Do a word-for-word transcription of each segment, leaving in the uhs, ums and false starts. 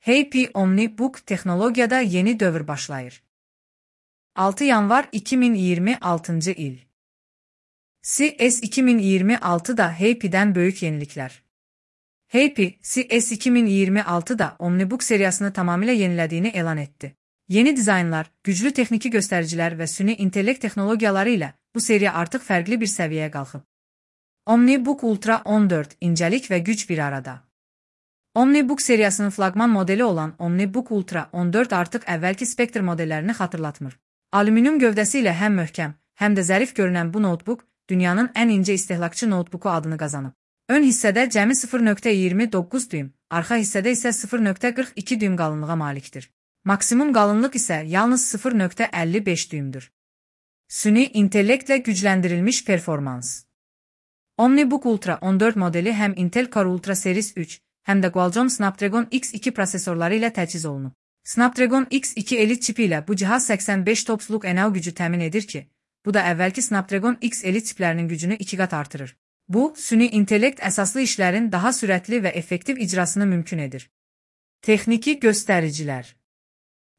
H P OmniBook texnologiyada yeni dövr başlayır. altı yanvar iki min iyirmi altıncı il. C S iki min iyirmi altıda H P'den böyük yenilikler. H P, C S iki min iyirmi altıda OmniBook seriyasını tamamıyla yenilediğini elan etti. Yeni dizaynlar, güclü texniki göstericiler ve süni intellekt texnologiyaları ile bu seriya artıq fərqli bir səviyyəyə qalxıb. OmniBook Ultra on dörd, incəlik və güc bir arada. OmniBook seriyasının flaqman modeli olan OmniBook Ultra on dörd artıq əvvəlki Spectre modellərini xatırlatmır. Alüminium gövdəsi ilə həm möhkəm, həm də zərif görünən bu notebook, dünyanın ən incə istehlakçı notebooku adını qazanıb. Ön hissədə cəmi sıfır nöqtə iyirmi doqquz düym, arxa hissədə isə sıfır nöqtə qırx iki düym qalınlığa malikdir. Maksimum qalınlıq isə yalnız sıfır nöqtə əlli beş düymdür. Süni intellektlə gücləndirilmiş performans. OmniBook Ultra on dörd modeli həm Intel Core Ultra Series üç, həm də Qualcomm Snapdragon X iki prosesorları ilə təchiz olunub. Snapdragon X iki Elite çipi ilə bu cihaz səksən beş topsluq enerji gücü təmin edir ki, bu da əvvəlki Snapdragon X Elite çiplərinin gücünü iki qat artırır. Bu, süni intellekt əsaslı işlərin daha sürətli və effektiv icrasını mümkün edir. Texniki göstəricilər.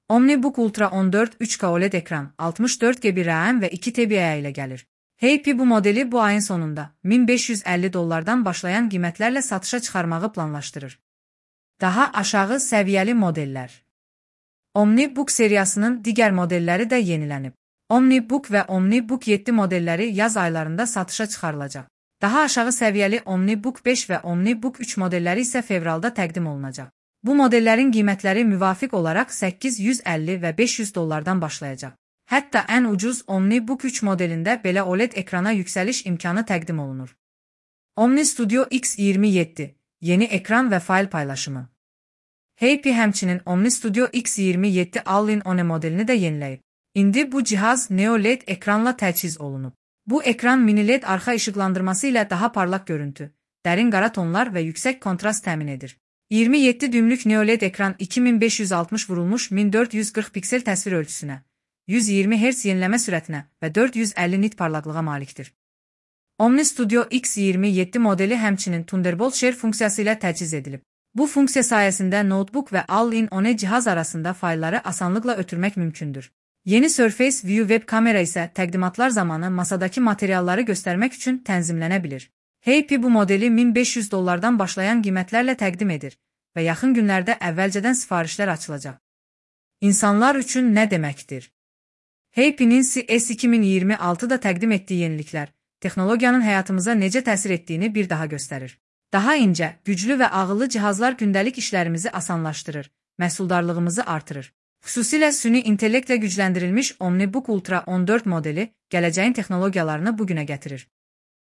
OmniBook Ultra on dörd üç K OLED ekran, altmış dörd gigabayt RAM və iki terabayt ilə gəlir. H P bu modeli bu ayın sonunda min beş yüz əlli dollardan başlayan qiymətlərlə satışa çıxarmağı planlaşdırır. Daha aşağı səviyyəli modellər. OmniBook seriyasının digər modelləri də yenilənib. OmniBook və OmniBook yeddi modelləri yaz aylarında satışa çıxarılacaq. Daha aşağı səviyyəli OmniBook beş və OmniBook üç modelləri isə fevralda təqdim olunacaq. Bu modellərin qiymətləri müvafiq olaraq səkkiz yüz əlli və beş yüz dollardan başlayacaq. Hətta ən ucuz OmniBook üç modelində belə OLED ekrana yüksəliş imkanı təqdim olunur. Omni Studio X iyirmi yeddi, yeni ekran və fayl paylaşımı. H P həmçinin Omni Studio X iyirmi yeddi All-in-One modelini də yeniləyib. İndi bu cihaz Neo L E D ekranla təchiz olunub. Bu ekran mini L E D arxa işıqlandırması ilə daha parlaq görüntü, dərin qara tonlar və yüksək kontrast təmin edir. iyirmi yeddi düymlük Neo L E D ekran iki min beş yüz altmış vurulmuş min dörd yüz qırx piksel təsvir ölçüsünə, yüz iyirmi hertz yeniləmə sürətinə və dörd yüz əlli nit parlaqlığa malikdir. Omni Studio X iyirmi yeddi modeli həmçinin Thunderbolt Share funksiyası ilə təchiz edilib. Bu funksiya sayəsində notebook və All-in-One cihaz arasında faylları asanlıqla ötürmək mümkündür. Yeni Surface View web kamera isə təqdimatlar zamanı masadakı materialları göstərmək üçün tənzimlənə bilir. H P bu modeli min beş yüz dollardan başlayan qiymətlərlə təqdim edir və yaxın günlərdə əvvəlcədən sifarişlər açılacaq. İnsanlar üçün nə deməkdir? H P'nin C S iki min iyirmi altıda təqdim etdiyi yeniliklər, texnologiyanın həyatımıza necə təsir etdiyini bir daha göstərir. Daha incə, güclü və ağıllı cihazlar gündəlik işlərimizi asanlaşdırır, məhsuldarlığımızı artırır. Xüsusilə süni intellektlə gücləndirilmiş OmniBook Ultra on dörd modeli gələcəyin texnologiyalarını bugünə gətirir.